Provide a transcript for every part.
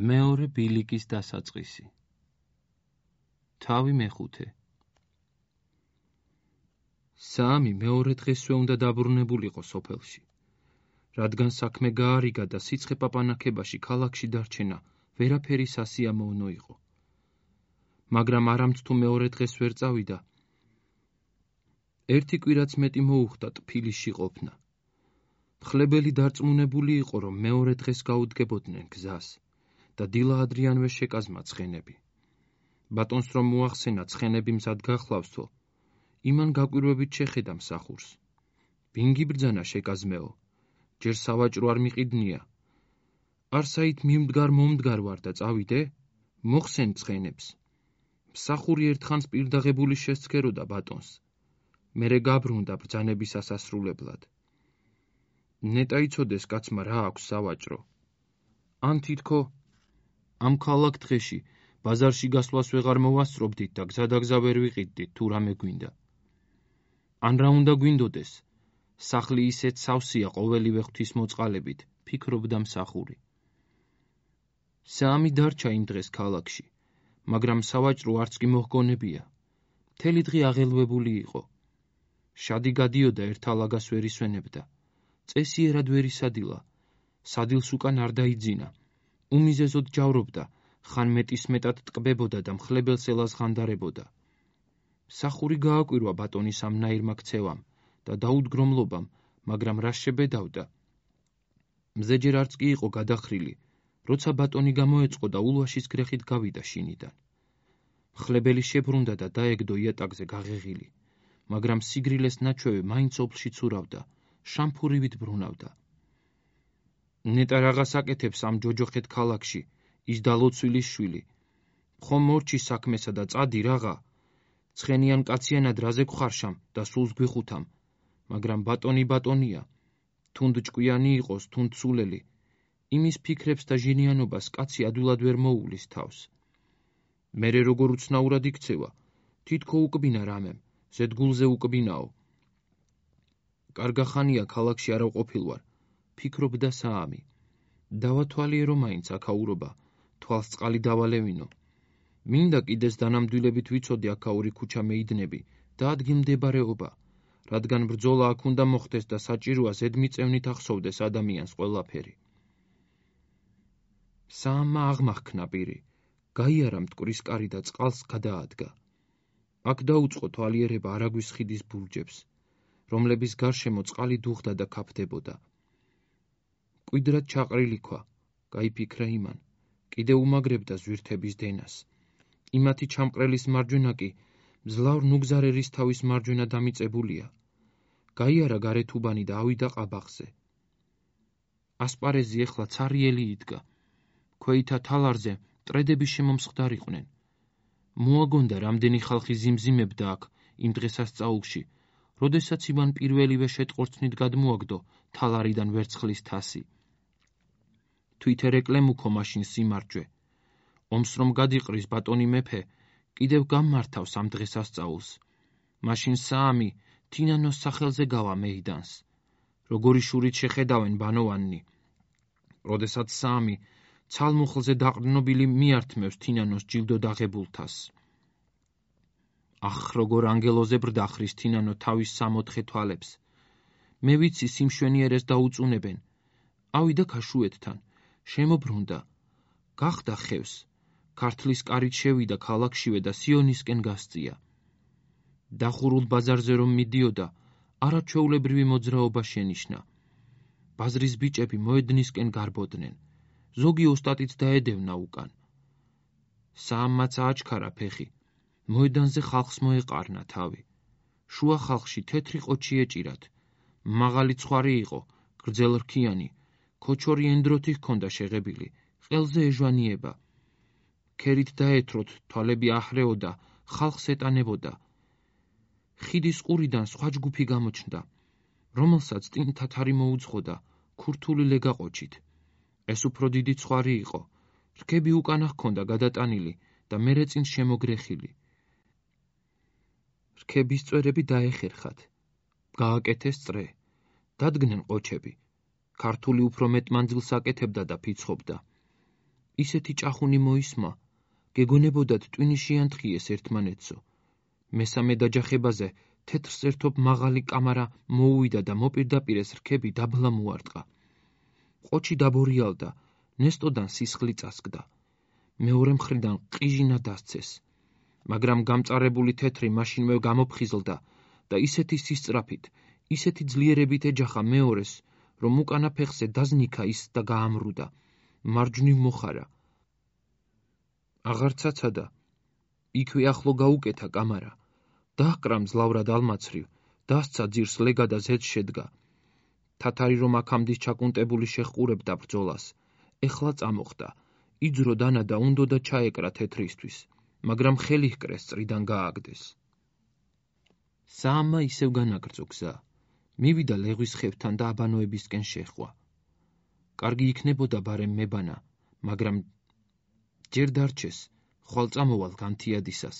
მეორე ბილიკის დასაწყისი. თავი მეხუთე. საამი მეორე დღესვე უნდა დაბრუნებულიყო სოფელში, რადგან საქმე გაარიგა და სიცხე პაპანაკებაში ქალაქში დარჩენა ვერაფერი სასიამოვნო იყო. მაგრამ არამც თუ მეორე დღეს ვერ წავიდა, ერთი კვირაც მეტი მოუხდა ტფილისში ყოფნა. მხლებელი დარწმუნებული იყო, რომ მეორე დღეს გაუდგებოდნენ გზას და დილა ადრიანვე შეკაზმა ცხენები. ბატონს რომ მოახსენა ცხენები მზად გახლავსო, იმან გაკვირვებით შეხედა მსახურს. ბინგი ბრძანა შეკაზმეო, ჯერ სავაჭრო არ მიყიდნია. არსაით მიმდგარ-მომდგარ ვარ და წავიდე, მოხსენ ცხენებს. მსახური ერთხანს პირდაღებული შესცქეროდა ბატონს. მერე გაბრუნდა ბრძანების ასასრულებლად. ნეტა იცოდეს კაცმა რა აქვს სავაჭრო. ან თითქო ამ ქალაქ დღეში ბაზარში გასვლას ვეღარ მოვასწრობდით და გზადაგზა ვერ ვიყიდდით თუ რამე გვინდა. ან რა უნდა გვინდოდეს, სახლი ისეთ სავსეა ყოველივე ღვთისმოწყალებით, ფიქრობდა მსახური. საამი დარჩა იმ დღეს ქალაქში, მაგრამ სავაჭრო არც კი მოჰგონებია. მთელი დღე აღელვებული იყო. შადი გადიოდა ერთალაგას ვერ ისვენებდა. წესიერად ვერ ისადილა. სადილს უკან არ დაიძინა. უმიზეზოდ ჯავრობდა, ხან მეტისმეტად ტკბებოდა და მხლებელს ელაზღანდარებოდა. მსახური გააკვირვა ბატონის ამნაირმა ქცევამ და დაუდგრომლობამ, მაგრამ რა შებედავდა. მზე ჯერ არც კი იყო გადახრილი, როცა ბატონი გამოეწყო და ულვაშის გრეხით გავიდა შინიდან. მხლებელი შებრუნდა და დაეგდო იატაკზე გაღეღილი, მაგრამ სიგრილეს ნაჩვევი მაინც ოფლში ცურავდა, შამფურივით ბრუნავდა. ნეტა რაღაც აკეთებს ამ ჯოჯოხეთ ქალაქში, ის დალოცვილის შვილი. ხომ მორჩი საქმესა და წადი რაღა. ცხენიან კაციანად რაზე გვხარშამ და სულს გვიხუთამ, მაგრამ ბატონი ბატონია. თუნდ ჭკვიანი იყოს, თუნდ სულელი. იმის ფიქრებს და ჟინიანობას კაცი ადვილად ვერ მოუვლის თავს. მერე როგორ უცნაურად იქცევა, თითქო უკბინა რამემ, ზედგულზე უკბინაო. კარგახანია ქალაქში არა ვყოფილვარ, ფიქრობდა საამი. დავათვალიერო მაინც აქაურობა, თვალს წყალი დავალევინო. მინდა კიდეს დანამდვილებით ვიცოდე აქაური ქუჩა მეიდნები და ადგილმდებარეობა, რადგან ბრძოლა აქ უნდა მოხდეს და საჭიროა ზედმიწევნით ახსოვდეს ადამიანს ყველაფერი. საამმა აღმახქნა პირი, გაიარა მტკვრის კარი და წყალს გადაადგა. აქ დაუწყო თვალიერება არაგვის ხიდის ბურჯებს, რომლების გარშემო წყალი დუღდა და ქაფდებოდა. კვიდრად ჩაყრილი ქვა, გაიფიქრა იმან, კიდე უმაგრებდა ზვირთების დენას. იმათი ჩამყრელის მარჯვენა კი მძლავრ ნუგზარ ერისთავის მარჯვენა დამიწებულია. გაიარა გარეთუბანი და ავიდა ყაბახზე. ასპარეზი ეხლა ცარიელი იდგა. ქვეითა თალარზე მტრედები შემომსხდარიყვნენ. მოაგონდა რამდენი ხალხი ზიმზიმებდა აქ იმ დღესასწაულში, როდესაც ივან პირველივე შეტყორცნით გადმოაგდო თალარიდან ვერცხლის თასი. თვითერეკლემ უქო მაშინ სიმარჯვე. ომს რომ გადიყრის ბატონი მეფე, კიდევ გამმართავს ამ დღესასწაულს. მაშინ საამი თინანოს სახელზე გავა მეიდანს. როგორი შურით შეხედავენ ბანოვანი. როდესაც საამი ცალმუხლზე დაყრდნობილი მიართმევს თინანოს ჯილდოდ აღებულთას. ახ, როგორ ანგელოზე ბრდახრის თინანო თავის სამოთხე თვალებს. მე ვიცი სიმშვენიერეს დაუწუნებენ. ავიდა ქაშუეთთან, შემობრუნდა, გახდა ხევს. ქართლის კარით შევიდა ქალაქშივე და სიონისკენ გასწია. დახურულ ბაზარზე რომ მიდიოდა, არაჩვეულებრივი მოძრაობა შენიშნა. ბაზრის ბიჭები მოედნისკენ გარბოდნენ. ზოგი ოსტატიც დაედევნა უკან. საამმაც ააჩქარა ფეხი. მოედანზე ხალხს მოეყარნა თავი. შუა ხალხში თეთრი ყოჩი ეჭირათ. მაღალი ცხარი იყო, გრძელრქიანი, ქოჩორი ენდროთი ჰქონდა შეღებილი, ყელზე ეჟვანიება. ქერით დაეთროთ, თვალები აჰრეოდა, ხალხს ეტანებოდა. ხიდის ყურიდან სხვა ჯგუფი გამოჩნდა, რომელსაც წინ თათარი მოუძღოდა, ქურთული ლეგა ყოჩით. ეს უფრო დიდი ცხარი იყო, რქები უკანა ჰქონდა გადატანილი და მერე წინ შემოგრეხილი. რქების წვერები დაეხერხათ, გააკეთეს წრე, დადგნენ ყოჩები. ქართული უფრო მეტ მანძილს აკეთებდა და ფიცხობდა. ისეთი ჭახუნი მოისმა, გეგონებოდათ ტვინი შეანთხიეს ერთმანეთსო. მესამე დაჯახებაზე თეთრს ერთობ მაღალი კამარა მოუვიდა და მოპირდაპირეს რქები დაბლა მოარტყა. ყოჩი დაბორიალდა, ნესტოდან სისხლი წასკდა. მეორე მხრიდან ყიჟინა დასცეს, მაგრამ გამწარებული თეთრი მაშინვე გამოფხიზლდა და ისეთი სისწრაფით, ისეთი ძლიერებით ეჯახა მეორეს, რომ უკანა ფეხზე დაზნიქა ის და გაამრუდა. მარჯვნივ მოხარა. აღარ ცაცადა. იქვე ახლო გაუკეთა კამარა. დაჰკრა მძლავრად ალმაცრივ, დასცა ძირს ლეგა და ზედ შედგა. თათარი რომ აქამდე ჩაკუნტებული შეჰყურებდა ბრძოლას, ეხლა წამოხდა. იძრო დანა და უნდოდა ჩაეკრა თეთრისთვის, მაგრამ ხელი ჰკრეს წრიდან გააგდეს. საამმა ისევ განაგრძო გზა. მივიდა ლეღვის ხევთან და აბანოებისკენ შეჰყვა. კარგი იქნებოდა ბარემ მებანა, მაგრამ ჯერ დარჩეს, ხვალ წამოვალ განთიადისას.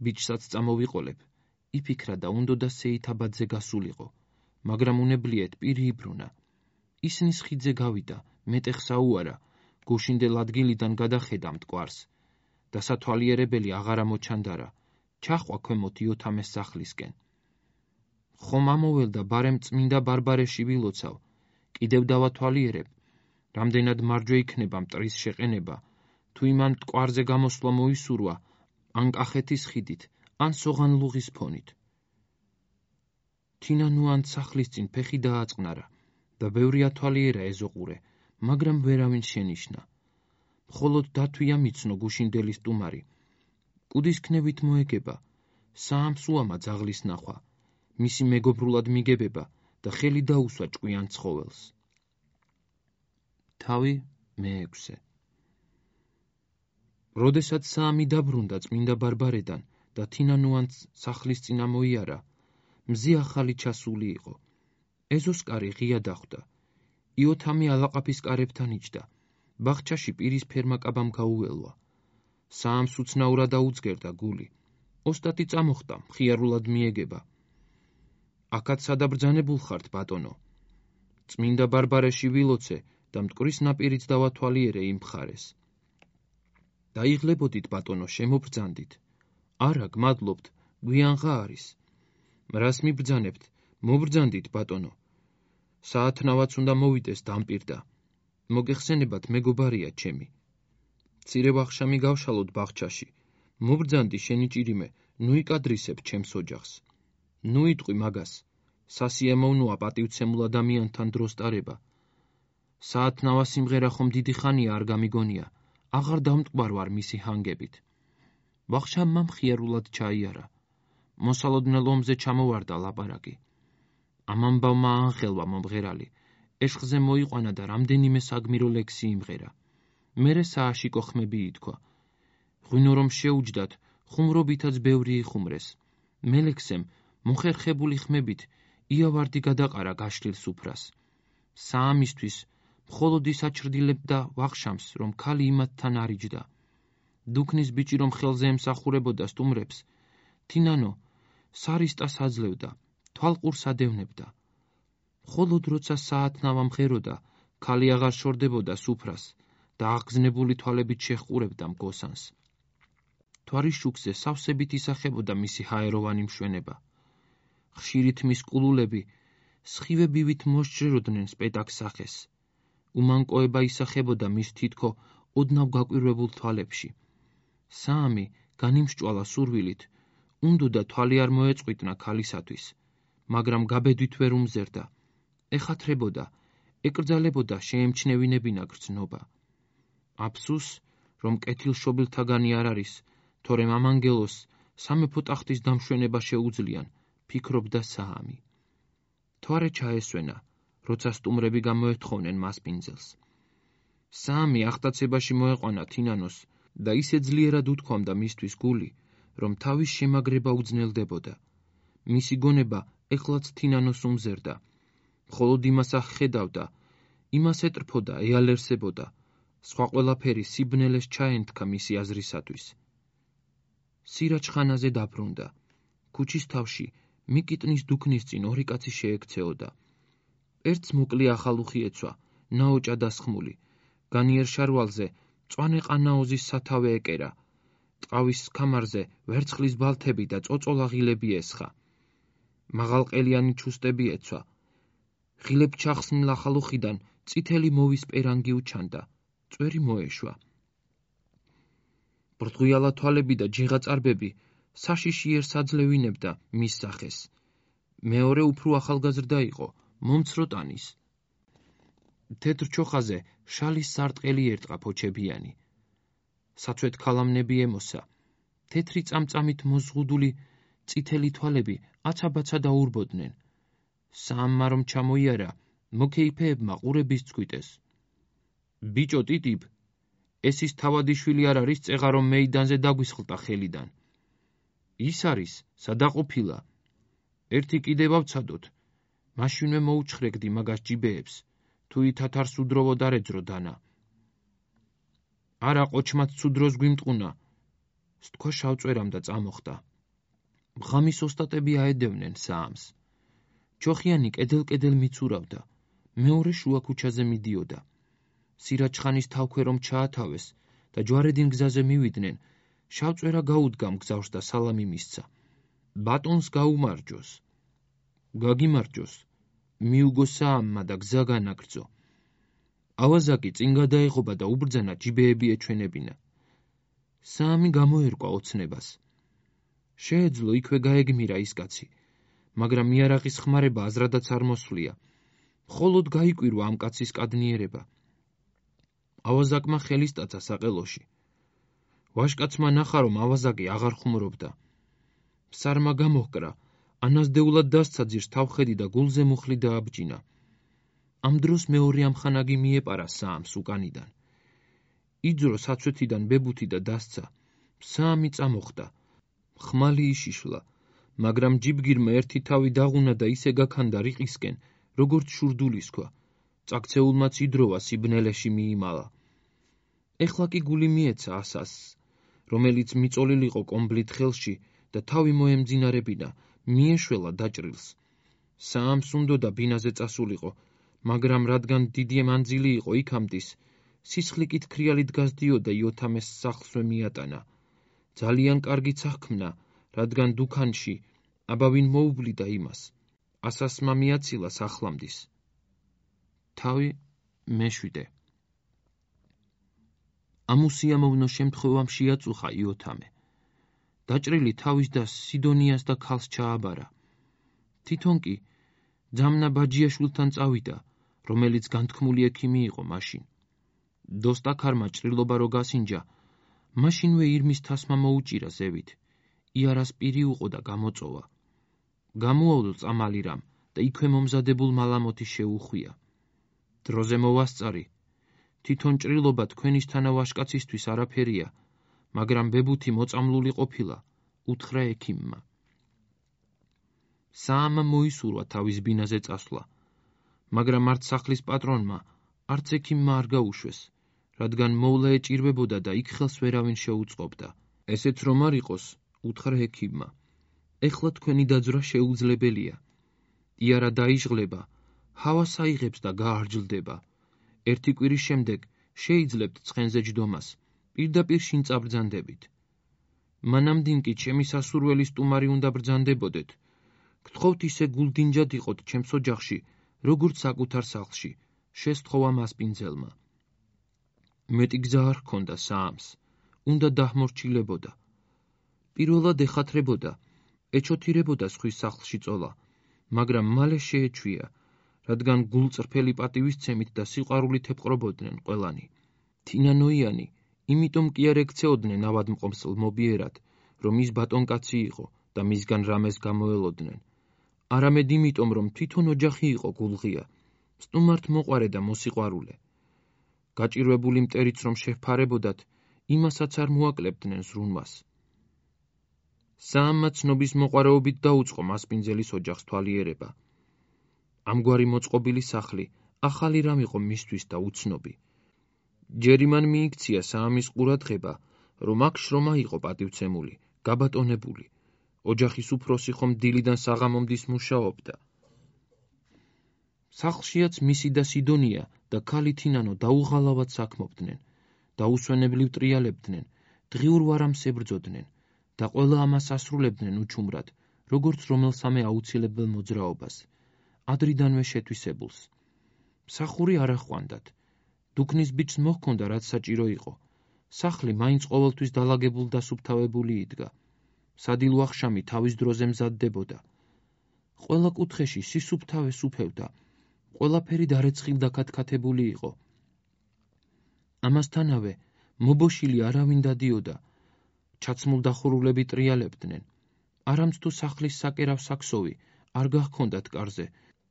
ბიჭსაც წამოვიყოლებ, იფიქრა და უნდოდა სეითაბადზე გასულიყო, მაგრამ უნებლიეთ პირი იბრუნა. ისნის ხიდზე გავიდა, მეტეხსა უარა, გუშინდელ ადგილიდან გადახედა მტკვარს. და სათვალიერებელი აღარა მოჩანდარა, ჩახვა ქვემოთ იოთამეს სახლისკენ. ხომ ამოველდა ბარემ წმინდა ბარბარეში ვილოცავ, კიდევ დავათვალიერებ, რამდენად მარჯვე იქნება მტრის შეყენება, თუ იმან მტკვარზე გამოსვლა მოისურვა, ან კახეთის ხიდით, ან სოღანლუღის ფონით. თინანუან სახლის წინ ფეხი დააწყნარა და ბევრი ათვალიერა ეზოყურე, მაგრამ ვერავინ შენიშნა. მხოლოდ დათვია მიცნო გუშინდელი სტუმარი. კუდის ქნევით მოეგება, საამს უამა ძაღლის ნახვა, მისი მეგობრულად მიგებება და ხელი დაუსვა ჭკვიან ცხოველს. თავი მეექვსე. როდესაც საამი დაბრუნდა წმინდა ბარბარედან და თინანუანს სახლის წინ ამოიარა, მზე ახალი ჩასული იყო. ეზოსკარი ღია დახვდა. იოთამი ალაყაფის კარებთან იჯდა. ბაღჩაში პირის ფერმაკაბამ გაუველვა. საამს უცნაურად აუძგერდა გული. ოსტატი წამოხდა, მხიარულად მიეგება. აქაც სადაბრძანებულ ხართ, ბატონო. წმინდა ბარბარეში ვილოცე და მტკვრის ნაპირიც დავათვალიერე იმ მხარეს. დაიღლებოდით, ბატონო, შემობრძანდით. არა, გმადლობთ, გვიანღა არის. რას მიბრძანებთ, მობრძანდით, ბატონო. საათნავაც უნდა მოვიდეს დამპირდა. მოგეხსენებათ, მეგობარია ჩემი. მცირე ვახშამი გავშალოთ ბაღჩაში. მობრძანდი შენი ჭირიმე, ნუ იკადრისებ ჩემს ოჯახს. ნუ იტყვი მაგას. სასიამოვნოა პატივცემულ ადამიანთან დროს ტარება. საათნავა სიმღერა ხომ დიდი ხანია არ გამიგონია. აღარ დამტკვარ ვარ მისი ჰანგებით. ვახშამმა მხიარულად ჩაიარა. მოსალოდნელ ომზე ჩამოვარდა ლაპარაკი. ამ ამბავმა ააღელვა მომღერალი. ეშხზე მოიყვანა და რამდენიმე საგმირო ლექსი იმღერა. მერე სააშიკო ხმები ითქვა. ღვინო რომ შეუჯდათ, ხუმრობითაც ბევრი იხუმრეს. მელექსემ მოხერხებული ხმებით იავარდი გადაყარა გაშლილ სუფრას. საამისთვის მხოლოდ ის აჩრდილებდა ვახშამს, რომ ქალი იმათთან არ იჯდა. დუქნის ბიჭი რომ ხელზე ემსახურებოდა სტუმრებს, თინანო სარისტას აძლევდა, თვალყურს ადევნებდა. მხოლოდ როცა საათნავა მღეროდა, ქალი აღარ შორდებოდა სუფრას და აღგზნებული თვალებით შეჰყურებდა მგოსანს. თვარის შუქზე სავსებით ისახებოდა მისი ჰაეროვანი მშვენება. ხშირით მის კულულები სხივე ბივით მოსჯეროდნენ სპეტაკ სახეს. უმანკოება ისახებოდა მის თითქო ოდნავ გაკვირვებულ თვალებში. საამი განიმსჭვალა სურვილით, უნდოდა თვალი არ მოეწყვიტნა ქალისათვის, მაგრამ გაბედვით ვერ უმზერდა. ეხათრებოდა, ეკრძალებოდა შეემჩნევინებინა გრძნობა. აფსუს, რომ კეთილშობილთაგანი არ არის, თორემ ამ ანგელოს სამეფო ტახტის დამშვენება შეუძლიან, ფიქრობდა საამი. თვარე ჩაესვენა, როცა სტუმრები გამოეთხოვნენ მას პინძელს. საამი ახტაცებაში მოეყვანა თინანოს და ისე ძლიერად უთქვამდა მისთვის გული, რომ თავის შემაგრება უძნელდებოდა. მისი გონება ეხლაც თინანოს უმზერდა. მხოლოდ იმას აღხედავდა, იმას ეტრფოდა, ეალერსებოდა. სხვა ყველაფერი სიბნელეს ჩაენთქა მისი აზრისათვის. სირაჯხანაზე დაბრუნდა. ქუჩის თავში მიკიტნის დუქნის წინ ორი კაცი შეექცეოდა. ერთს მოკლე ახალუხი ეცვა, ნაოჭა დასხმული. განიერ შარვალზე მწვანე ყანაოზის სათავე ეკერა. ტყავის ქამარზე ვერცხლის ბალთები და წოწოლაღილები ესხა. მაღალყელიანი ჩუსტები ეცვა. ღილებ ჩახსნილ ახალუხიდან წითელი მოვის პერანგი უჩანდა. წვერი მოეშვა. ბრდღიალა თვალები და ჯიღაწარბები საშიში ერს აძლევინებდა მის სახეს. მეორე უფრო ახალგაზრდა იყო, მომცრო ტანის. თეთრ ჩოხაზე შალის სარტყელი ერტყა ფოჩებიანი. საცვეთ ქალამნები ემოსა. თეთრი წამწამით მოზღუდული წითელი თვალები აცაბაცა დაურბოდნენ. საამმა რომ ჩამოიარა, მოკეიფეებმა ყურების წვიტეს. ბიჭო ტიტიბ, ეს ის თავადი-შვილი არ არის წეღა რომ მეიდანზე დაგვისხლტა ხელიდან. ის არის, სადაყოფილა. ერთი კიდევ ავცადოთ. მაშინვე მოუჩხრეგდი მაგას ჯიბეებს, თუ ითათარს უდროვო დარეძრო დანა. არა ყოჩმაც სუდროს გვიმტყუნა, სთქვა შავწვერამ და წამოხდა. ღამის ოსტატები აედევნენ საამს. ჩოხიანი კედელ-კედელ მიცურავდა, მეორე შუა ქუჩაზე მიდიოდა. სირაჩხანის თავქვე რომ ჩაათავეს და ჯვარედინ გზაზე მივიდნენ, შავწვერა გაუდგა მგზავრს და სალამი მისცა. ბატონს გაუმარჯოს. გაგიმარჯოს, მიუგო საამმა და გზა განაგრძო. ავაზაკი წინ გადაეღობა და უბრძანა ჯიბეები ეჩვენებინა. საამი გამოერკვა ოცნებას. შეეძლო იქვე გაეგმირა ის კაცი, მაგრამ იარაღის ხმარება აზრადაც არ მოსვლია. მხოლოდ გაიკვირვა ამ კაცის კადნიერება. ავაზაკმა ხელის ტაცა საყელოში. ვაშკაცმა ნახა, რომ ავაზაკი აღარ ხუმრობდა. ფსარმა გამოჰკრა, ანაზდეულად დასცა ძირს თავხედი და გულზე მუხლი დააბჯინა. ამ დროს მეორე ამხანაგი მიეპარა საამს უკანიდან. იძრო საცვეთიდან ბებუთი და დასცა. საამი წამოხდა. ხმალი იშიშლა, მაგრამ ჯიბგირმა ერთი თავი დაღუნა და ისე გაქანდა რიყისკენ, როგორც შურდულისქვა. წაქცეულმაც იდროვა სიბნელეში მიიმალა. ეხლა კი გული მიეცა ასასს, რომელიც მიწოლილიყო კომბლით ხელში და თავი მოემძინარებინა, მიეშველა დაჭრილს. საამს უნდოდა ბინაზე წასულიყო, მაგრამ რადგან დიდი მანძილი იყო იქამდის, სისხლიკით ქრიალით გასდიოდა იოთამეს სახლსვე მიატანა. ძალიან კარგიც აღქმნა, რადგან დუქანში აბავინ მოუვლიდა იმას. ასასმა მიაცილა სახლამდის. თავი მეშვიდე. ამ უსიამოვნო შემთხვევამ შეაწუხა იოთამე. დაჭრილი თავის და სიდონიას და ქალს ჩააბარა. თვითონ კი ძამნა ბაჯიაშვილთან წავიდა, რომელიც განთქმული ექიმი იყო მაშინ. დოსტაქარმა ჭრილობა რო გასინჯა, მაშინვე ირმის თასმა მოუჭირა ზევით. იარას პირი უყო და გამოწოვა. გამოავლო წამალი რამ და იქვე მომზადებულ მალამოთი შეუხვია. დროზე მოვასწარი. თვითონ ჭრილობა თქვენისთანა ვაშკაცისთვის არაფერია, მაგრამ ბებუთი მოწამლული ყოფილა, უთხრა ექიმმა. საამმა მოისურვა თავის ბინაზე წასვლა, მაგრამ არც სახლის პატრონმა, არც ექიმმა არ გაუშვეს, რადგან მოვლა ეჭირვებოდა და იქ ხელს ვერავინ შეუწყობდა. ესეც რომ არ იყოს, უთხრა ექიმმა. ეხლა თქვენი დაძვრა შეუძლებელია. იარა დაიჟღლება, ჰავა საიღებს და გაარჯლდება. ერთი კვირის შემდეგ შეიძლებთ ცხენზე ჯდომას, პირდაპირ შინ წაბრძანდებით. მანამდინ კი ჩემი სასურველი სტუმარი უნდა ბრძანდებოდეთ. გთხოვთ ისე გულდინჯად იყოთ ჩემს ოჯახში, როგორც საკუთარ სახლში, შესთხოვა მასპინძელმა. მეტი გზა არ ჰქონდა საამს, უნდა დაჰმორჩილებოდა. პირველად ეხათრებოდა, ეჩოთირებოდა სხვის სახლში წოლა, მაგრამ მალე შეეჩვია, რადგან გულწრფელი პატივისცემით და სიყვარულით ეპყრობოდნენ ყველანი. თინანოიანი, იმიტომ კი არ ექცეოდნენ ავადმყოფს ლმობიერად, რომ ის ბატონკაცი იყო და მისგან რამეს გამოელოდნენ. არამედ იმიტომ, რომ თვითონ ოჯახი იყო გულღია, სტუმართ მოყვარე და მოსიყვარულე. გაჭირვებული მტერიც რომ შეფარებოდათ, იმასაც არ მოაკლებდნენ ზრუნვას. საამმა ცნობის მოყვარეობით დაუწყო მასპინძელის ოჯახს თვალიერება. ამგვარი მოწყობილი სახლი ახალი რამ იყო მისთვის და უცნობი. ჯერ იმან მიიქცია საამის ყურადღება, რომ აქ შრომა იყო პატივცემული, გაბატონებული. ოჯახის უფროსი ხომ დილიდან საღამომდის მუშაობდა. სახლშიაც მისი და სიდონია და ქალი თინანო დაუღალავად საქმობდნენ. დაუსვენებლივ ტრიალებდნენ, დღიურ ვარამს ებრძოდნენ და ყველა ამას ასრულებდნენ უჩუმრად, როგორც რომელსამე აუცილებელ მოძრაობას, ადრიდანვე შეთვისებულს. მსახური არ ახვანდათ. დუქნის ბიჭს მოჰქონდა, რაც საჭირო იყო. სახლი მაინც ყოველთვის დალაგებულ და სუფთავებული იდგა. სადილო ახშამი თავის დროზე მზადდებოდა. ყველა კუთხეში სისუფთავე სუფევდა. ყველაფერი დარეცხილ დაქათქათებული იყო. ამასთანავე მობოშილი არავინ დადიოდა. ჩაცმულ დახურულები ტრიალებდნენ. არამც თუ სახლის საკერავ საქსოვი არ გაჰქონდათ კარზე,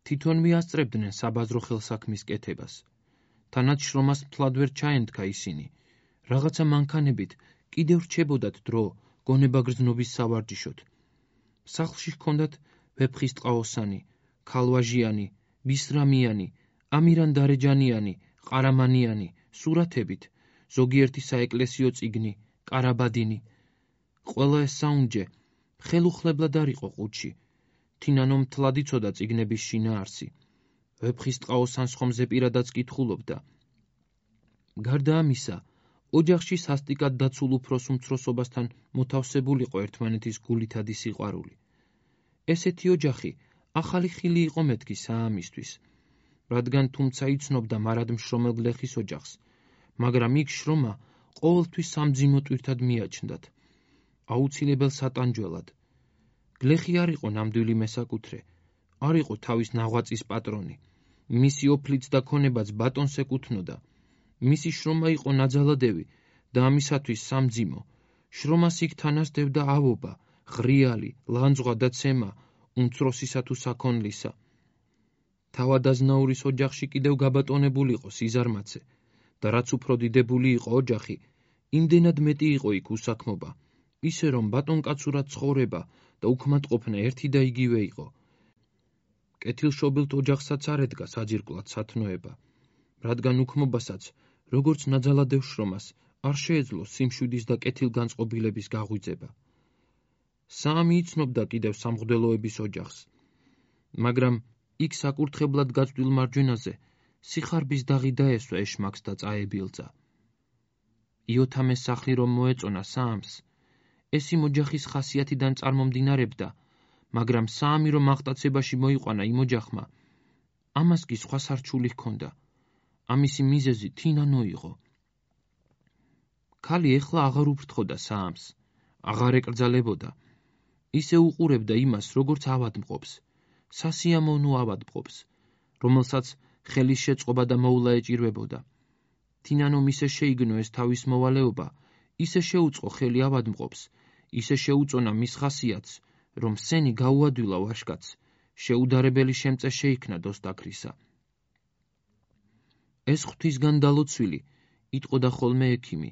თვითონ მიასწრებდნენ საბაზრო ხელსაქმის კეთებას. თანაც შრომას მთლად ვერ ჩაენდგა ისინი. რაღაცა მანქანებით კიდევ რჩებოდათ დრო გონება გრძნობის სავარჯიშოდ. სახლში ჰქონდათ ვეფხისტყაოსანი, ქალვაჟიანი, ბისრამიანი, ამირან დარეჯანიანი, ყარამანიანი, სურათებით, ზოგიერთი საეკლესიო წიგნი, კარაბადინი. ყველა ეს საუნჯე ხელუხლებლად არ იყო ყუთში. თინანო მთლად იცოდა წიგნების შინაარსი. ვეფხისტყაოსანს ხომზე პირადაც კითხულობდა. გარდა ამისა, ოჯახში სასტიკად დაცულ უფროს უმცროსობასთან მოთავსებულიყო ერთმანეთის გულითადი სიყვარული. ესეთი ოჯახი ახალი ხილი იყო მეთქი საამისთვის, რადგან თუმცა იცნობდა მარადმშრომელ გლეხის ოჯახს, მაგრამ იქ შრომა ყოველთვის სამძიმო ტვირთად მიაჩნდათ, აუცილებელ სატანჯველად. გლეხი არ იყო ნამდვილი მესაკუთრე, არ იყო თავის ნაღვაწის პატრონი, მისი ოფლიც და ქონებაც ბატონს ეკუთვნოდა. მისი შრომა იყო ნაძალადევი და ამისათვის სამძიმო. შრომას იქ თანასდევდა ავობა, ღრიალი, ლანძღვა და ცემა, უმცროსისა თუ საქონლისა. თავადაზნაურის ოჯახში კიდევ გაბატონებულიყო სიზარმაცე და რაც უფრო დიდებული იყო ოჯახი, იმდენად მეტი იყო იქ უსაქმობა, ისე რომ ბატონკაცურად ცხოვრება და უქმატყოფნა ერთი და იგივე იყო. კეთილშობილთ ოჯახსაც არ ედგა საძირკვლად სათნოება, რადგან უქმობასაც, როგორც ნაძალადევ შრომას, არ შეეძლო სიმშვიდის და კეთილგანწყობილების გაღვიძება. საამი იცნობდა კიდევ სამღვდელოების ოჯახს, მაგრამ იქ საკურთხებლად გაწვდილ მარჯვენაზე სიხარბის დაღი დაესვა ეშმაკს და წაებილძა. იოთამეს სახლი რომ მოეწონა საამს, ეს იმ ოჯახის ხასიათიდან წარმომდინარებდა, მაგრამ საამი რომ აღტაცებაში მოიყვანა იმ ოჯახმა, ამას კი სხვა სარჩული ჰქონდა. ამისი მიზეზი თინანო იყო. ქალი ეხლა აღარ უფრთხოდა საამს, აღარ ეკრძალებოდა. ისე უყურებდა იმას, როგორც ავადმყოფს, სასიამოვნო ავადმყოფს, რომელსაც ხელის შეწყობა და მოვლა ეჭირვებოდა. თინანომ ისე შეიგნო ეს თავის მოვალეობა, ისე შეუწყო ხელი ავადმყოფს, ისე შეუწონა მის ხასიათს, რომ სენი გაუადვილა ვაშკაცს, შეუდარებელი შემწე შეიქმნა დოსდაქრისა. ეს ღვთისგან დალოცვილი, იტყოდა ხოლმე ექიმი,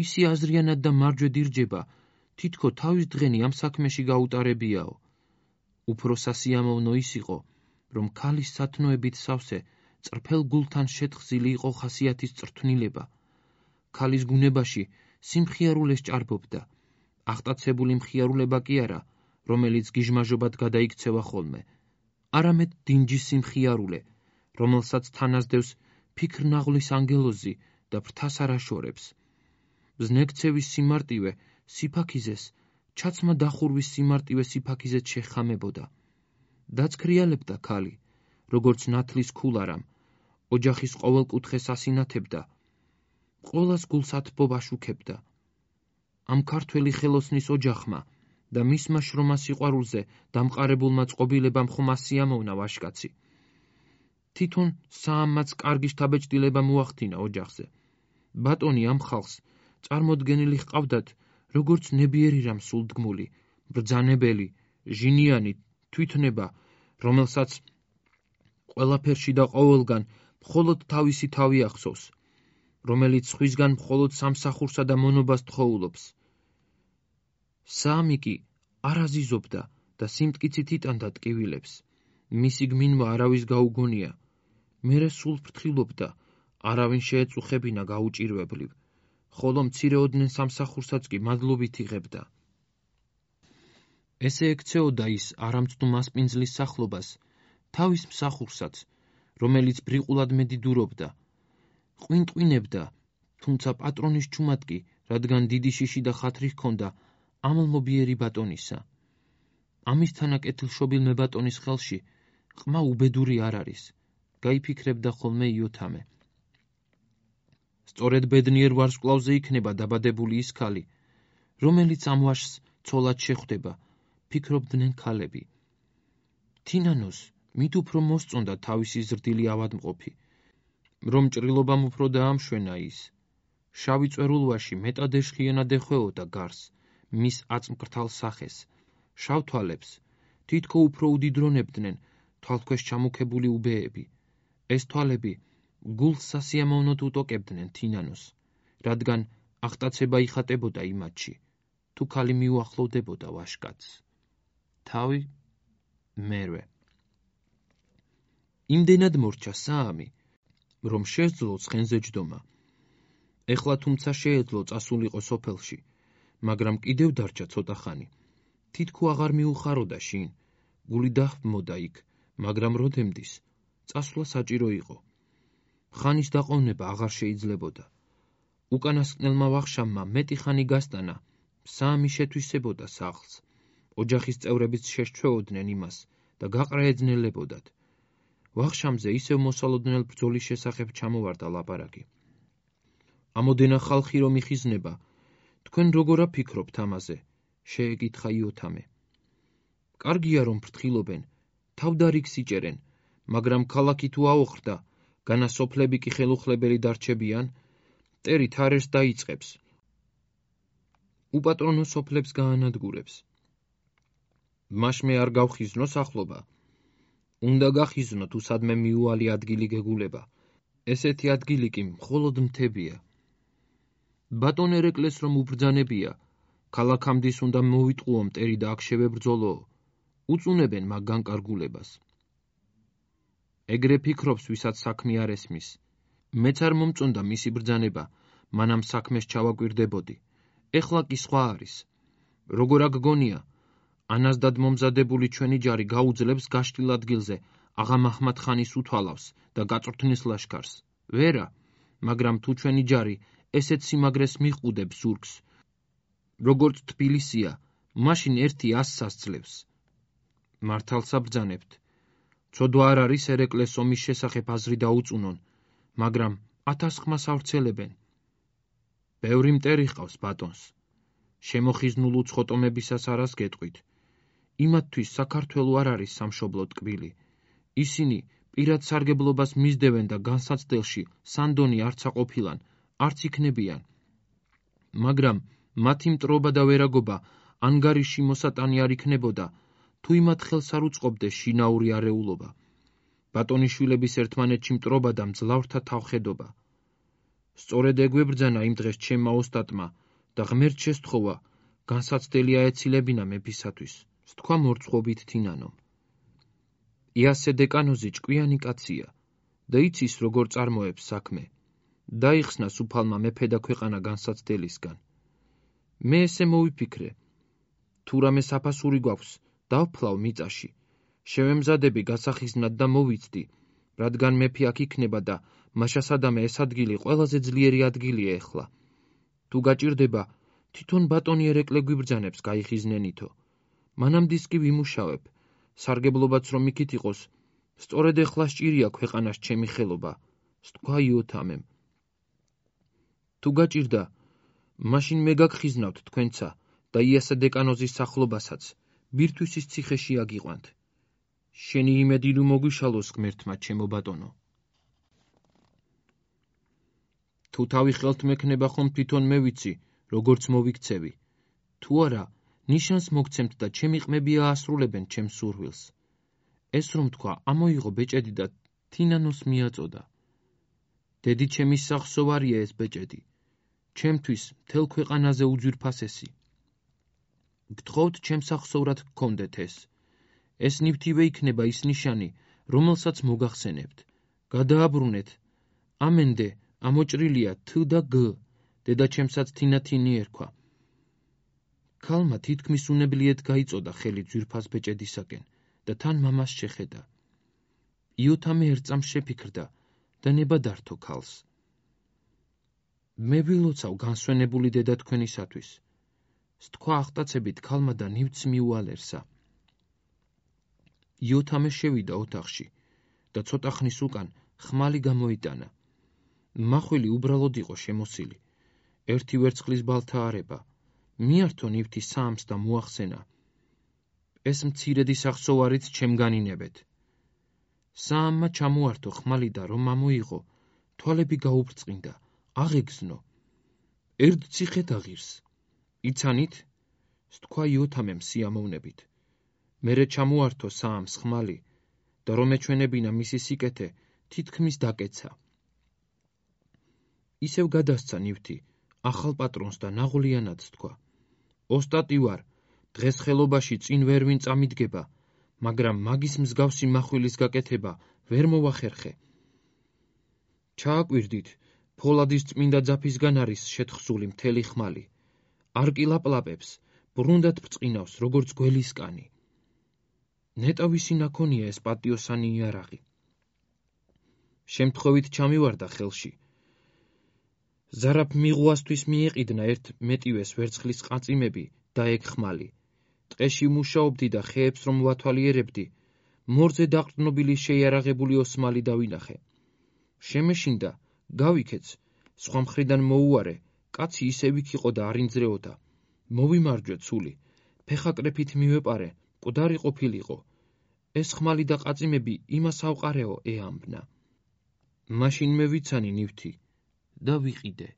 ისი აზრიანად და მარჯვედ ირჯება, თითქო თავის დღენი ამ საქმეში გაუტარებიაო. უფრო სასიამოვნო ის იყო, რომ ქალის სათნოებით სავსე წრფელ გულთან შეთხზილი იყო ხასიათის წრთვნილება. ქალის გუნებაში სიმხიარულეს ჭარბობდა, აღტაცებული მხიარულება კი არა, რომელიც გიჟმაჟობად გადაიქცევა ხოლმე, არამედ დინჯის სიმხიარულე, რომელსაც თანასდევს ფიქრნაღლის ანგელოზი და ფრთას არ აშორებს. ზნექცევის სიმარტივე სიფაქიზეს, ჩაცმა დახურვის სიმარტივე სიფაქიზეთ შეხამებოდა. დაცქრიალებდა ქალი, როგორც ნათლის ქულარამ, ოჯახის ყოველ კუთხეს ასინათებდა, ყოველას გულს ათბობა შუქებდა. ამ ქართველი ხელოსნის ოჯახმა და მისმა შრომა სიყვარულზე დამყარებულმა წყობილებამ ხომ ასიამოვნა ვაშკაცი. თვითონ საამმაც კარგი შთაბეჭდილება მოახდინა ოჯახზე. ბატონი ამ ხალხს წარმოდგენილი ჰყავდათ, როგორც ნებიერი რამ სულდგმული, ბრძანებელი, ჟინიანი თვითნება, რომელსაც ყველაფერში და ყოველგან მხოლოდ თავისი თავი ახსოვს, რომელიც სხვისგან მხოლოდ სამსახურსა და მონობას თხოვულობს. საამი კი არ აზიზობდა და სიმტკიცით იტანდა ტკივილებს. მისი გმინვა არავის გაუგონია, მერე სულ ფრთხილობდა, არავინ შეეწუხებინა გაუჭირვებლივ, ხოლო მცირეოდნე სამსახურსაც კი მადლობით იღებდა. ესე ექცეოდა ის არამცნუ მასპინძლის სახლობას, თავის მსახურსაც, რომელიც ბრიყულად მედიდურობდა, ყვინტყვინებდა, თუმცა პატრონის ჩუმად კი, რადგან დიდი შიში და ხათრი ჰქონდა ამლმობიერი ბატონისა. ამის თანა კეთილშობილ მებატონის ხელში ყმა უბედური არ არის, გაიფიქრებდა ხოლმე იოთამე. სწორედ ბედნიერ ვარსკვლავზე იქნება დაბადებული ის ქალი, რომელიც ამ ვაშს ცოლად შეხვდება, ფიქრობდნენ ქალები. თინანოს მით უფრო მოსწონდა თავისი ზრდილი ავადმყოფი, რომ ჭრილობამ უფრო დაამშვენა ის. შავი წვერულვაში მეტად ეშხიანად ეხვეოდა გარს, მის აწმკრთალ სახეს, შავ თვალებს, თითქო უფრო უდიდრონებდნენ თვალქვეშ ჩამუქებული უბეები. ეს თვალები გულს სასიამოვნოდ უტოკებდნენ თინანოს, რადგან აღტაცება იხატებოდა იმათში, თუ ქალი მიუახლოვდებოდა ვაშკაცს. თავი მერვე. იმდენად მორჩა საამი, რომ შესძლო ცხენზე ჯდომა. ეხლა თუმცა შეეძლო წასულიყო სოფელში, მაგრამ კიდევ დარჩა ცოტა ხანი. თითქო აღარ მიუხაროდა შინ, გული დაჰმოდა იქ, მაგრამ როდემდის წასვლა საჭირო იყო. ხანის დაყოვნება აღარ შეიძლებოდა. უკანასკნელმა ვახშამმა მეტი ხანი გასტანა, საამი შეთვისებოდა სახლს. ოჯახის წევრებიც შესჩვეოდნენ იმას და გაყრა ეძნელებოდათ. ვახშამზე ისევ მოსალოდნელ ბრძოლის შესახებ ჩამოვარდა ლაპარაკი. ამოდენა ხალხი რომ იხიზნება, თქვენ როგორ აფიქრობთ ამაზე? შეეკითხა იოთამე. კარგია რომ ფრთხილობენ, თავდარიგს იჭერენ, მაგრამ ქალაქი თუ აოხრდა, განასოფლები კი ხელუხლებელი დარჩებიან, მტერი თარერს დაიწყებს. უპატრონო სოფლებს გაანადგურებს. მაშმე არ გავხიზნო სახლობა. უნდა გახიზნო თუ სადმე მიუვალი ადგილი გეგულება. ესეთი ადგილი კი მხოლოდ მთებია. ბატონ ერეკლეს რომ უბრძანებია, ქალაქამდის უნდა მოვიტყუო მტერი და აქ შევებრძოლო, უწუნებენ მაგ განკარგულებას. ეგრე ფიქრობს, ვისაც საქმე არ ესმის. მეც არ მომწონდა მისი ბრძანება, მანამ საქმეს ჩავაკვირდებოდი. ეხლა კი სხვა არის. როგორ აგგონია, ანაზდად მომზადებული ჩვენი ჯარი გაუძლებს გაშლილ ადგილზე აღა მაჰმად ხანის უთვალავს და გაწვრთნის ლაშქარს. ვერა, მაგრამ თუ ჩვენი ჯარი ესეთ სიმაგრეს მიყუდებს ზურგს, როგორც თბილისია, მაშინ 100-ს ასძლევს. მართალსა ბრძანებთ. ცოდვა არ არის ერეკლეს ომის შესახებ აზრი დაუწუნონ, მაგრამ 1000 ხმას ავრცელებენ. ბევრი მტერი ჰყავს ბატონს. შემოხიზნულ უცხოტომებისას არას გეტყვით. იმათთვის საქართველო არ არის სამშობლო ტკბილი. ისინი პირად სარგებლობას მისდევენ და განსაცდელში სანდონი არც აყოფილან, არც იქნებიან. მაგრამ მათი მტრობა და ვერაგობა ანგარიში მოსატანი არ იქნებოდა, თუ იმათ ხელს არ უწყობდეს შინაური არეულობა. ბატონიშვილების ერთმანეთში მტრობა და მძლავრთა თავხედობა. სწორედ ეგვებრძანა იმ დღეს ჩემმა ოსტატმა და ღმერთ შესთხოვა, განსაცდელი აეცილებინა მეფისათვის, სთქვა მორცხვობით თინანომ. იასე დეკანოზი ჭკვიანი კაცია და იცის როგორ წარმოებს საქმე. დაიხსნა სუფალმა მეფე და ქვეყანა განსაცდელისგან. მე ესე მოვიფიქრე, თუ რამე საფასური გვაქვს, დავფლავ მიწაში, შევემზადები გასახიზნად და მოვიცდი, რადგან მეფე აქ იქნება და მაშასადამე ეს ადგილი ყველაზე ძლიერი ადგილია ეხლა. თუ გაჭირდება, თვითონ ბატონი ერეკლე გვიბრძანებს გაიხიზნენითო. მანამდის კი ვიმუშავებ, სარგებლობაც რომ იქით იყოს, სწორედ ეხლა სჭირია ქვეყანას ჩემი ხელობა, სთქვა იოთამემ. თუ გაჭირდა, მაშინ მე გაგხიზნავთ თქვენცა და იასე დეკანოზის სახლობასაც, ბირთვისის ციხეში აგიყვანთ. შენი იმედი ნუ მოგვიშალოს ღმერთმა, ჩემო ბატონო. თუ თავი ხელთ მექნება ხომ თვითონ მე ვიცი, როგორც მოვიქცევი. თუ არა, ნიშანს მოგცემთ და ჩემი ყმები აასრულებენ ჩემს სურვილს. ეს რომ თქვა, ამოიღო ბეჭედი და თინანოს მიაწოდა. დედი ჩემის სახსოვარია ეს ბეჭედი. ჩემთვის მთელ ქვეყანაზე უძვირფასესი. გთხოვთ ჩემს სახსოვრად გქონდეთ ეს. ეს ნივთივე იქნება ის ნიშანი, რომელსაც მოგახსენებთ. გადააბრუნეთ. ამენდე, ამოჭრილია თ და გ. დედაჩემსაც თინათინი ერქვა. ქალმა თითქმის უნებლიეთ გაიწოდა ხელი ძვირფას ბეჭედისაკენ და თან მამას შეხედა. იოთამე ერთ წამს შეფიქრდა და ნება დართო ქალს. მე ვილოცავ განსვენებული დედა თქვენისათვის. სთქვა ახტაცებით ქალმა და ნივთს მიუალერსა. იოთამე შევიდა ოთახში და ცოტა ხნის უკან ხმალი გამოიტანა. მახვილი უბრალოდ იყო შემოსილი. ერთი ვერცხლის ბალთა არება. მიართო ნივთი საამს და მოახსენა. ეს მცირედი სახსოვარით ჩემგანინებეთ. საამმა ჩამოართო ხმალი და რომ ამოიღო, თვალები გაუბრწყინდა, აღეგზნო. ერთ ციხედ აღირს. იცანით? სთქვა იოთამემ სიამოვნებით. მერე ჩამოართო საამს ხმალი და რომ ეჩვენებინა მისი სიკეთე, თითქმის დაკეცა. ისევ გადასცა ნივთი, ახალ პატრონს და ნაღვლიანად სთქვა. ოსტატი ვარ, დღეს ხელობაში წინ ვერ ვინ წამიდგება, მაგრამ მაგის მსგავსი מחვილის გაკეთება ვერ მოვახერხე. ჩააკვირდით, ფოლადის წმინდა ძაფისგან არის შეთხსული მთელი ხმალი. არ კილაპლაპებს, ბრუნდად ბრწყინავს, როგორც გველისკანი. ნეტა ვისი ნაქონია ეს პატიოსანი იარაღი. შემთხვევით ჩამივარდა ხელში. ზარაფ მიღუასთვის მიეყიდნა ერთ მეტივეს ვერცხლის ყაწიმები და ეგ ხმალი. ტყეში მუშაობდი და ხეებს რომ ვათვალიერებდი, მორზე დაყრდნობილი შეიარაღებული ოსმალი დავინახე. შემეშინდა, გავიქეც, სხვა მხრიდან მოუარე, კაცი ისევ იქ იყო და არ ინძრეოდა. მოვიმარჯვე ცული, ფეხაკრეფით მივეპარე, მკვდარი ყოფილიყო. ეს ხმალი და ყაწიმები იმას ავყარეო ეამბნა. მაშინ მე ვიცანი ნივთი და ვიყიდე.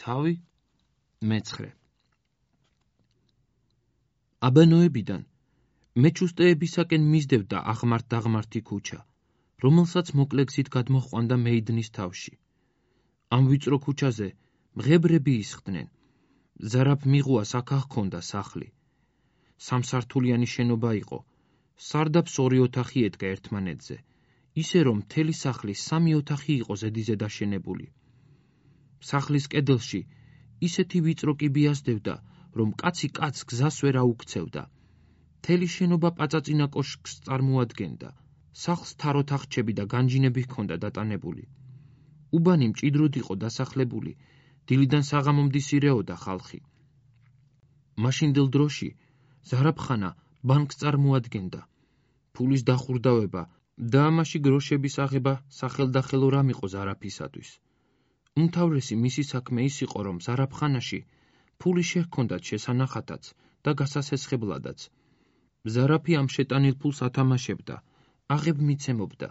თავი მეცხრე. აბანოებიდან მეჩუსტეებისაკენ მისდევდა აღმართ-დაღმართი ქუჩა, რომელსაც მოკლეგზით გადმოჰყვანდა მეიდნის თავში. ამ ვიწრო ქუჩაზე მღებრები ისხდნენ. ზარაფ მიღუას აქ ჰქონდა სახლი. სამსართულიანი შენობა იყო. სარდაფს ორი ოთახი ედგა ერთმანეთზე, ისე რომ მთელი სახლი სამი ოთახი იყო ზედიზე დაშენებული. სახლის კედელში ისეთი ვიწრო კიბი ასდევდა, რომ კაცი კაცს გზას ვერ აუქცევდა. მთელი შენობა პაწაწინა კოშკს წარმოადგენდა. სახლს თაროთახჩები და განჯინები ჰქონდა დატანებული. უბანი მჭიდროდ იყო დასახლებული, დილიდან საღამომდის ირეოდა ხალხი. მაშინდელ დროში ზარაფხანა ბანკს წარმოადგენდა. ფულის დახურდავება და ამაში გროშების აღება სახელდახელო რამ იყო ზარაფისათვის. უმთავრესი მისი საქმე ის იყო, რომ ზარაფხანაში ფული შეჰქონდათ შესანახათაც და გასასესხებლადაც. ზარაფი ამ შეტანილ ფულს ათამაშებდა, აღებ მიცემობდა.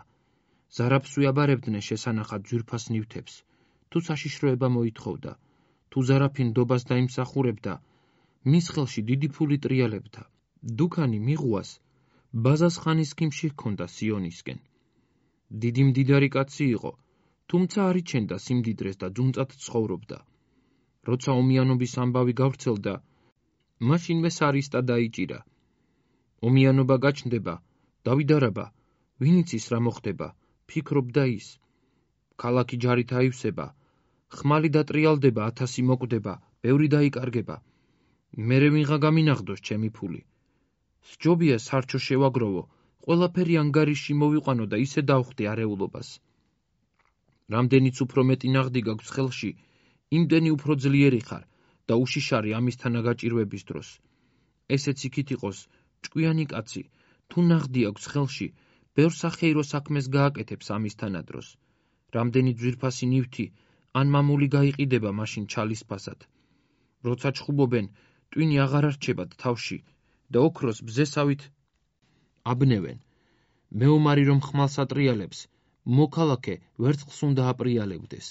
ზარაფს უიაბარებდნენ შესანახად ძვირფას ნივთებს, თუ საშიშროება მოითხოვდა, თუ ზარაფი ნდობას დაიმსახურებდა, მის ხელში დიდი ფული ტრიალებდა. დუქანი მიღუას ბაზას ხანის ქიმში ჰქონდა სიონისკენ. დიდი მდიდარი კაცი იყო, თუმცა არ იჩენდა სიმდიდრეს და ძუნწად ცხოვრობდა. როცა ომიანობის ამბავი გავრცელდა, მაშინვე სარისტა დაიჭირა. ომიანობა გაჩნდება, დავიდარაბა, ვინ იცის რა მოხდება, ფიქრობდა ის. ქალაქი ჯარით აივსება, ხმალი დატრიალდება, 1000 მოკვდება, ბევრი დაიკარგება. მერე ვინღა გამინახდოს ჩემი ფული. სჯობია სარჩო შევაგროვო, ყველაფერი ანგარიში მოვიყვანო და ისე დავხდი არეულობას. რამდენიც უფრო მეტი ნაღდი გაქვს ხელში, იმდენი უფრო ძლიერი ხარ და უშიშარი ამის თანაგაჭირვების დროს. ესეც იქით იყოს ჭკვიანი კაცი, თუ ნაღდი აქვს ხელში, ბევრ სახეირო საქმეს გააკეთებს ამის თანადროს. რამდენი ძვირფასი ნივთი ან მამული გაიყიდება მაშინ ჩალისფასად. როცა ჩხუბობენ, ტვინი აღარ არჩებათ თავში და ოქროს ბზესავით აბნევენ. მეომარი რომ ხმალს ატრიალებს, მოქალაქე ვერცხლს უნდა აპრიალებდეს.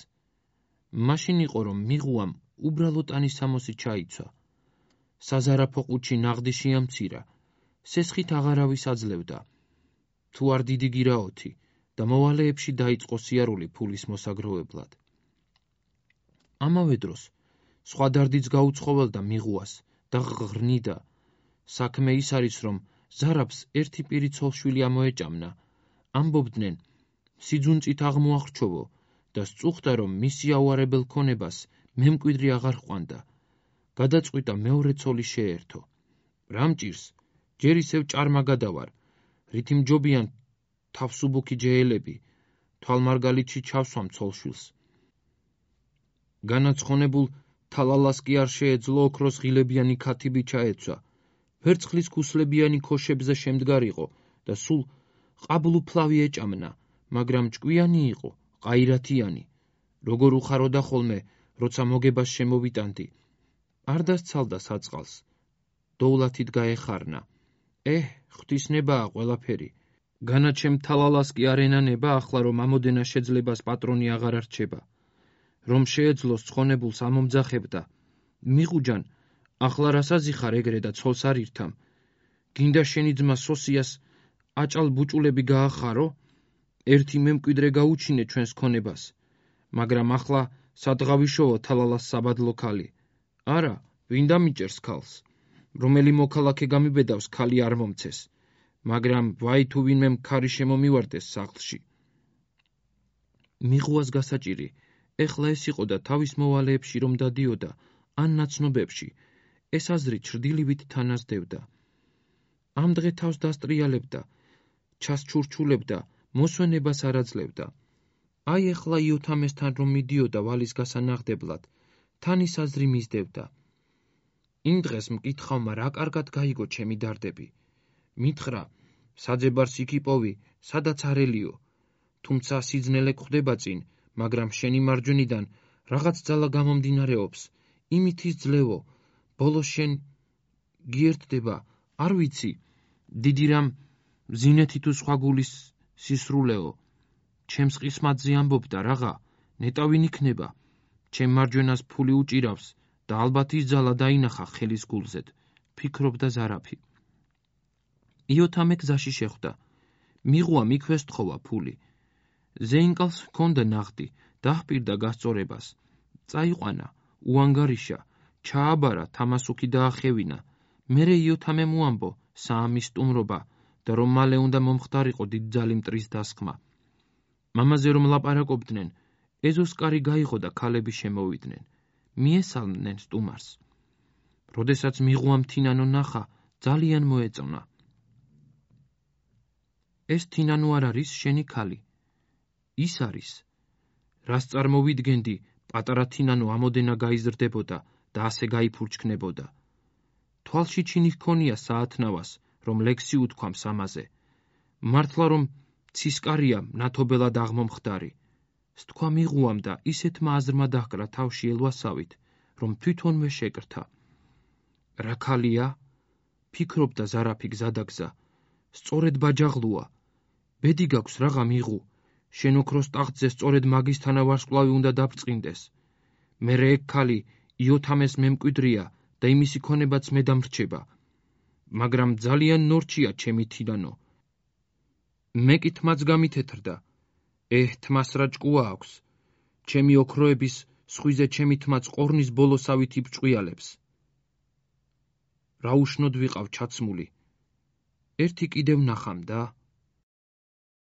მაშინ იყო, რომ მიღუამ უბრალოდ ანისამოსი ჩაიცვა. საზარაფო ყუთში ნაღდი შეამცირა, სესხით აღარავის აძლევდა. თუ არ დიდი გირაოთი და მოვალეებში დაიწყო სიარული ფულის მოსაგროვებლად. ამავე დროს სხვა დარდიც გაუცხოველდა მიღუას და ღრნიდა. საქმე ის არის, რომ ზარაფს ერთი პირი ცოლშვილი ამოეჭამნა. ამბობდნენ, სიძუნწით აღმოახრჩოვო და სწუხდა, რომ მისი აუარებელ ქონებას მემკვიდრი აღარ ჰყვანდა. გადაწყვიტა მეორე ცოლი შეერთო. რა მჭირს, ჯერ ისევ ჭარმა გადავარ, რითი მჯობიან თავსუბუქი ჯეელები, თვალმარგალითში ჩავსვამ ცოლშვილს. განაცხონებულ თალალას კი არ შეეძლო ოქროს ღილებიანი ქათიბი ჩაეცვა, ვერცხლის ქუსლებიანი ქოშებზე შემდგარიყო და სულ ყაბლუფლავი ეჭამნა, მაგრამ ჭკვიანი იყო, ყაირათიანი, როგორ უხაროდა ხოლმე, როცა მოგებას შემოვიტანდი. არ დასცალდა საწყალს, დოვლათით გაეხარნა. ღვთისნებაა ყველაფერი. განაჩემ თალალას კი არ ენანება ახლა, რომ ამოდენა შეძლებას პატრონი აღარ არჩება. რომ შეეძლოს ცხონებულს ამომძახებდა. მიღუჯან, ახლა რასაზი ხარ ეგრე და ცოლს არ ირთამ? გინდა შენი ძმა სოსიას აჭალ ბუჭულები გაახარო? ერთი მემკვიდრე გაუჩინე ჩვენს ქონებას. მაგრამ ახლა სადღავიშოო თალალას საბადლო ქალი. არა, ვინ დამიჭერს ქალს? რომელი მოქალაქე გამიბედავს ქალი არ მომცეს, მაგრამ ვაი თუ ვინმე ქარი შემომივარდეს სახლში. მიღუას გასაჭირი, ეხლა ეს იყო და თავის მოვალეებში რომ დადიოდა, ან ნაცნობებში, ეს აზრი ჩრდილივით თანასდებდა. ამ დღე თავს დასტრიალებდა, ჩასჩურჩულებდა, მოსვენებას არ აძლევდა. აი ეხლა იოთამესთან რომ მიდიოდა ვალის გასანაღდებლად, თან ის აზრი მისდევდა. იმ დღეს მკითხავმა რა კარგად გაიგო ჩემი დარდები. მითხრა, საძებარს იქ იპოვი, სადაც არ ელიო, თუმცა სიძნელე გვხდება წინ, მაგრამ შენი მარჯვნიდან რაღაც ძალა გამომდინარეობს, იმით იძლევო, ბოლოს შენ გიერთდება, არ ვიცი, დიდი რამ ზინეთი თუ სხვა გულის სისრულეო. ჩემს ყისმათზე ამბობდა რაღა, ნეტა ვინ იქნება, ჩემ მარჯვენას ფული უჭირავს და ალბათ ის ძალა დაინახა ხელის გულზედ, ფიქრობდა ზარაფი. იოთამე გზაში შეხვდა. მიღუამ იქვე სთხოვა ფული. ზეინკალს ჰქონდა ნახტი, დაჰპირდა გასწორებას. წაიყვანა, უანგარიშა, ჩააბარა, თამასუქი დაახევინა. მერე იოთამე მოამბო საამის სტუმრობა და რომ მალე უნდა მომხდარიყო დიდძალი მტრის დასხმა. მამაზე რომ ლაპარაკობდნენ, ეზოსკარი გაიღო და ქალები შემოვიდნენ. მიესალმდნენ სტუმარს. როდესაც მიღუამ თინანო ნახა, ძალიან მოეწონა. ეს თინანო არ არის შენი ქალი? ის არის. რას წარმოვიდგენდი, პატარა თინანო ამოდენა გაიზრდებოდა და ასე გაიფურჩქნებოდა. თვალში ჩინი ჰქონია საათნავას, რომ ლექსი უთქვამს ამაზე. მართლა რომ ცისკარია ნათობელად აღმომხდარი. სთქვა მიღუამ და ისეთმა აზრმა დაჰკრა თავში ელვასავით, რომ თვითონვე შეკრთა. რა ქალია? ფიქრობდა ზარაფი გზადაგზა. სწორედ ბაჯაღლუა. ბედი გაქვს რაღა მიღუ. შენ ოქროს ტახტზე სწორედ მაგისთანა ვარსკვლავი უნდა დაბრწყინდეს. მერე ეგ ქალი იოთამეს მემკვიდრია და იმისი ქონებაც მე დამრჩება. მაგრამ ძალიან ნორჩია ჩემი თინანო. მე კი თმაც გამითეთრდა. თმას რა ჭკუა აქვს. ჩემი ოქროების სხვიზე ჩემი თმაც ყორნის ბოლოსავით იბჭყვიალებს. რა უშნოდ ვიყავ ჩაცმული. ერთი კიდევ ნახამ და